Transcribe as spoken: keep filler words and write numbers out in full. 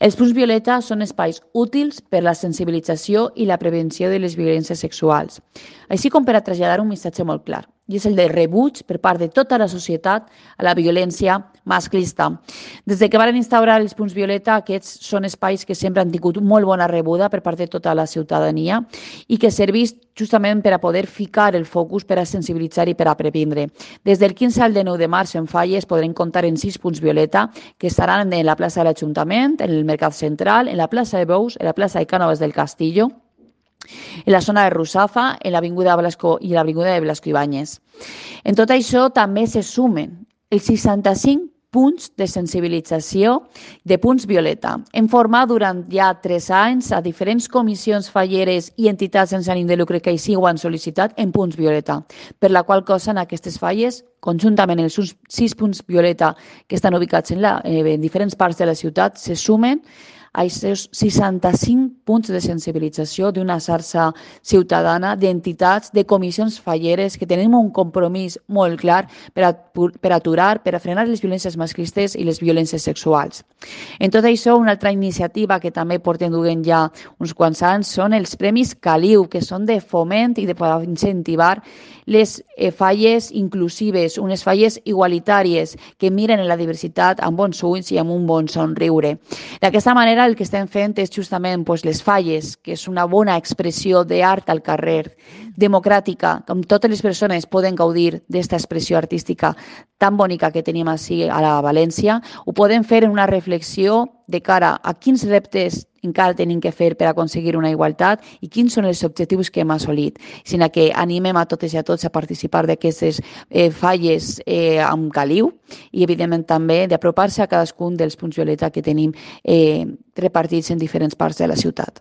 Els punts violeta són espais útils per a la sensibilització i la prevenció de les violències sexuals, així com per a traslladar un missatge molt clar, i és el de rebuig per part de tota la societat a la violència masclista. Des de que van instaurar els punts violeta, aquests són espais que sempre han tingut molt bona rebuda per part de tota la ciutadania i que serveix justament per a poder ficar el focus per a sensibilitzar i per a previndre. Des del quinze al dinou de març en Falles podrem comptar en sis punts violeta que estaran en la plaça de l'Ajuntament, en el Mercat Central, en la plaça de Bous, en la plaça de Cànoves del Castillo, en la zona de Russafa, en l'Avinguda Blasco i l'Avinguda de Blasco Ibáñez. En tot això també se sumen els seixanta-cinc punts de sensibilització de punts violeta. Hem format durant ja tres anys a diferents comissions falleres i entitats sense ànim de lucre que així ho han sol·licitat en punts violeta, per la qual cosa en aquestes falles, conjuntament els sis punts violeta que estan ubicats en, la, en diferents parts de la ciutat, se sumen a aquests seixanta-cinc punts de sensibilització d'una xarxa ciutadana, d'entitats, de comissions falleres que tenim un compromís molt clar per, a, per aturar, per a frenar les violències masclistes i les violències sexuals. En tot això, una altra iniciativa que també portem duent ja uns quants anys són els Premis Caliu, que són de foment i de poder incentivar les falles inclusives, unes falles igualitàries que miren en la diversitat amb bons ulls i amb un bon somriure. D'aquesta manera, el que estem fent és justament doncs, les falles, que és una bona expressió d'art al carrer, democràtica, com totes les persones poden gaudir d'aquesta expressió artística tan bonica que tenim així a la València, ho podem fer en una reflexió de cara a quins reptes encara tenim que fer per aconseguir una igualtat i quins són els objectius que hem assolit, sinó que animem a totes i a tots a participar d'aquestes eh, falles eh, amb caliu i, evidentment, també d'apropar-se a cadascun dels punts violeta que tenim eh, repartits en diferents parts de la ciutat.